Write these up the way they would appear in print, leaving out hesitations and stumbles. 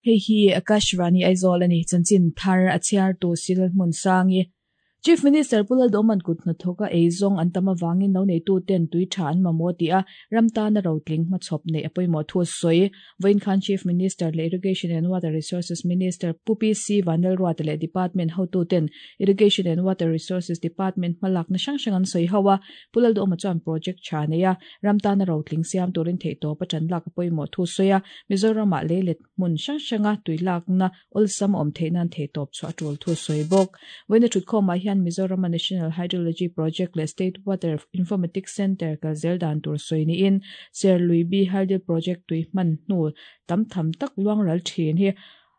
Hei hi Akashvani Aizawl a ni, chanchin thar a chhiartu Cyril Hmunsangi. Chief Minister Pu Lalduhman kut hnathawka eizawng an tam avangin lo neituten tui tha an mamawh tih a, ram tana rotling hmachhawp neih a pawimawh thu a sawi. Vawiin khan Chief Minister leh Irrigation and Water Resources Minister Pu PC Vanlalruata leh Department hotuten Irrigation and Water Resources Department hmalakna hrang hrang an sawi ho a, Pu Lalduhma chuan project tha nei a, ram tana rotling siam turin theihtawp a tan lak a pawimawh thu sawi a, Mizoramah leilet hmun hrang hranga tui lakna awlsam a awm theih nan theihtawp chhuah a tul thu sawi bawk. Vawiina thutkhawmah hian Mizorama National Hydrology Project leh State Water Informatics Centre kal zel dan tur sawi niin Serlui Hydel Project tui hman hnu tam tham tak luangral thin hi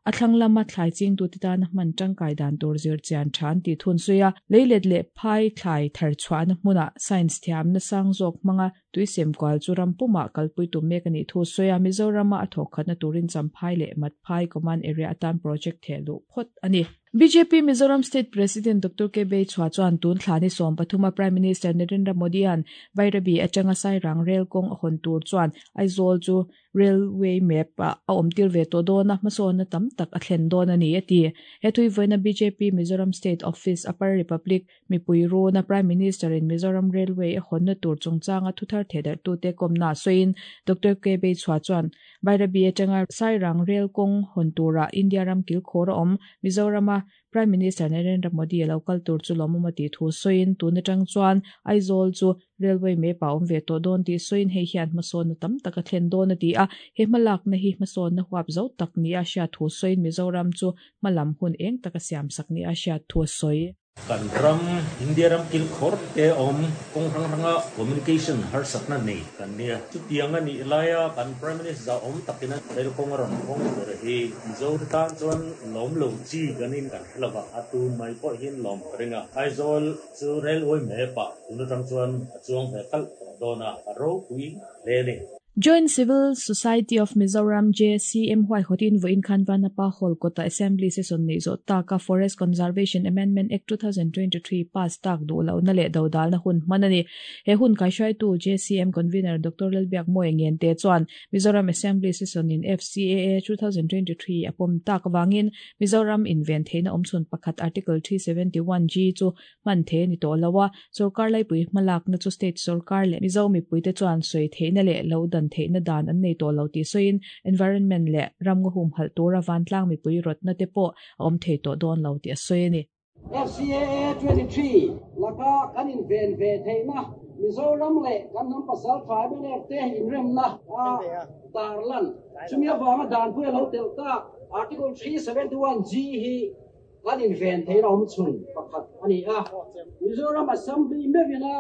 A thlang lama thlai chingtute tana hman tangkai dan tur zir chian tha an tih thun zui a, leilet leh phai thlai thar chhuahna hmunah science thiamna sang zawk hmanga tuisem kual chu ram pumah kalpui tum mek a nih thu sawi a, Mizorama a thawkkhatna turin Champhai leh Matphai Command Area atan project theh luh phawt a ni. Bjp Mizoram State President Doctor K Beichhua chuan tun thla ni 13 a Prime Minister Narendra Modi-a'n Bairabi atanga Sairang rel kawng a hawn tur chuan Aizawl chu Railway map ah a awm tir ve tawh dawn a, hmasawnna tam tak a thlen dawn a ni, a ti. He thuivawiina bjp Mizoram State Office, Upper Republic mipui runa Prime Minister in Mizoram Railway a hawnna tur chungchanga thuthar thehdarhtute kawmna sawiin Doctor K Beichhua chuan Bairabi atanga Sairang Rail kawng hawn turah India ram kilkhawr a awm Mizorama Prime Minister Narendra Modi a lo kal tur chu lawmawm a tih thu sawiin tun atang chuan Aizawl chu Railway map ah awm ve tawh dawn tih sawiin hei hian hmasawnna tam tak a thlen dawn a ti a, he hmalakna hi hmasawnna huap zo tak nia hriat thu sawiin Mizoram chu hmalam hun eng taka siamsak nia hriat thu a sawi. Kan ram, India ram kilkhawr te awm kawng hrang hranga communication harsatna nei kan nia. Chutiang a nih laia kan Prime Minister awm takina rail kawng a rawn hawng tur hi Mizo te tan chuan lawm lo chi kan in kan hre lova, a tu mai pawh hian lawm ka ring a. Aizawl chu railway map ah tun atang chuan a chuang ve kalh tawh dawn a, a ropui hle a ni. Joint Civil Society of Mizoram, JCM, huaihawtin vawiin khan Vanapa Hall kawta Assembly session neih zawh taka Forest Conservation Amendment Act 2023 pass tak duh lohna leh dodalna hun hman a ni. He hun kaihruaitu JCM Convener Doctor Lalbiak Mawia Ngente chuan Mizoram Assembly session in FCAA 2023 a pawm tak avangin Mizoram inven theihna awmchhun pakhat Article 371G chu hman thei a ni tawh lo a, sorkar laipui hmalakna chu state sorkar leh Mizo mipuite chuan sawi theihna leh lo dan theihna dan an nei tawh lo tih sawiin environment leh ramngaw humhalh tura vantlang mipui rawtna te pawh a awm thei tawh dawn lo tih a sawi a ni. FCAA 23 laka kan inven ve theihna Mizoram leh kan hnam pasal tha mnf te inremna a tarlan. Chumi avanga danpui a lo telh tak Article 371G hi Kan inven theihna awm chhun pakhat a ni a, Mizoram Assembly meuhin a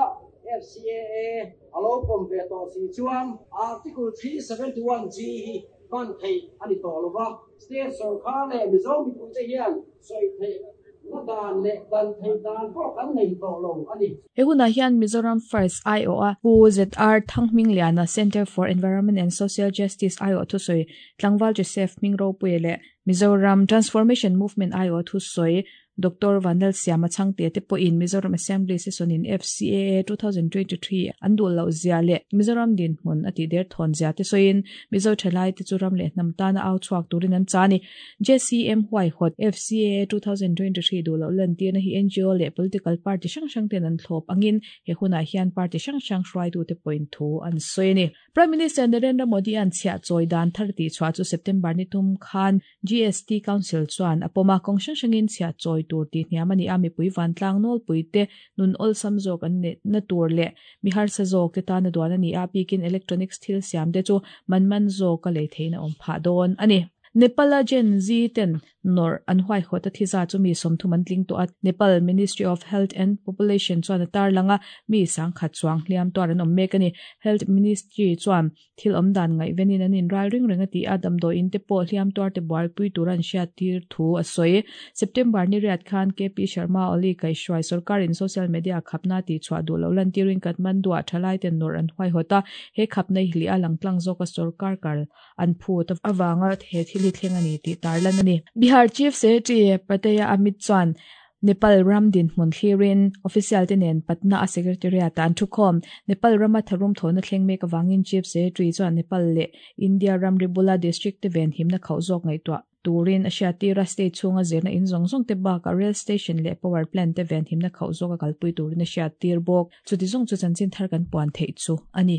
FCAA a lo pawm ve tawh si chuan Article 371G hi hman theih a ni tawh lo va, State sorkar leh Mizo mipuite hian sawi theihna dan leh dan theih dan pawh kan nei tawh lo a ni. He hunah hian Mizoram First aiawha Pu ZR Thanghmingliana, Centre for Environment and Social Justice aiawh thusawi Tlangval Joseph Hmingropui leh Mizoram Transformation Movement aiawh thusawi Doctor Vanlal Siama Chhangte te pawhin Mizoram Assembly Session in FCAA 2023 an duh loh zia leh Mizoram dinhmun a tih der thawn zia te sawiin Mizo thalai te chu ram leh hnam tana au chhuak turin an cha a ni. JCM huaihawt FCAA 2023 duh loh lantirna hi ngo leh political party hrang hrang ten an thlawp angin he hunah hian party hrang hrang hruaitute pawhin thu an sawi a ni. Prime Minister Narendra Modi-a'n chhiah chawi dan thar tih chhuah chu September ni tum khan GST Council chuan a pawm a, kawng hrang hrangin chhiah chawi tur tih hniam a ni a, mipui vantlang nawlpuite nun awlsam zawk an neihna tur leh mi harsa zawk te tana duan a ni a, bikin electronics thil siam te chu man man zawka lei theihna awm phah dawn a ni. Nepal-a Gen Z ten Nawrh an huaihawt a thiza chu mi 30 an tling tawh a, Nepal Ministry of Health and Population chuan a tarlang a, mi 10,000 chuang hliam tuar an awm mek a ni. Health Ministry chuan thil awm dan ngaihvenin an inral ring reng a ti a, damdawiin te pawh hliam tuar te buaipui tura an hriattir thu a sawi. September ni riat khan KP Sharma Oli kaihhruai sorkarin social media khapna tihchhuah duh loh lantirin Kathmandu-ah thalaiten nawrh an huaihawt a, he khapna hi hlih a langtlang zawka sorkar kal an phut avanga he thil hi thleng a ni tih tarlan a ni. Bihar Chief Secretary Prataya Amit chuan Nepal ram dinhmun thlirin official te nen Patna a Secretariat ah an thukhawm. Nepal rama tharum thawhna thleng mek avangin Chief Secretary chuan Nepal leh India ramri bula district te venhimna khauh zawk ngaihtuah. turin a hriattir a, state chhunga zirna in zawng zawng te bakah rail station leh power plant te venhimna khauh zawka kalpui turin a hriattir bawk. Chuti zawng chu chanchin thar kan puan theih chu a ni.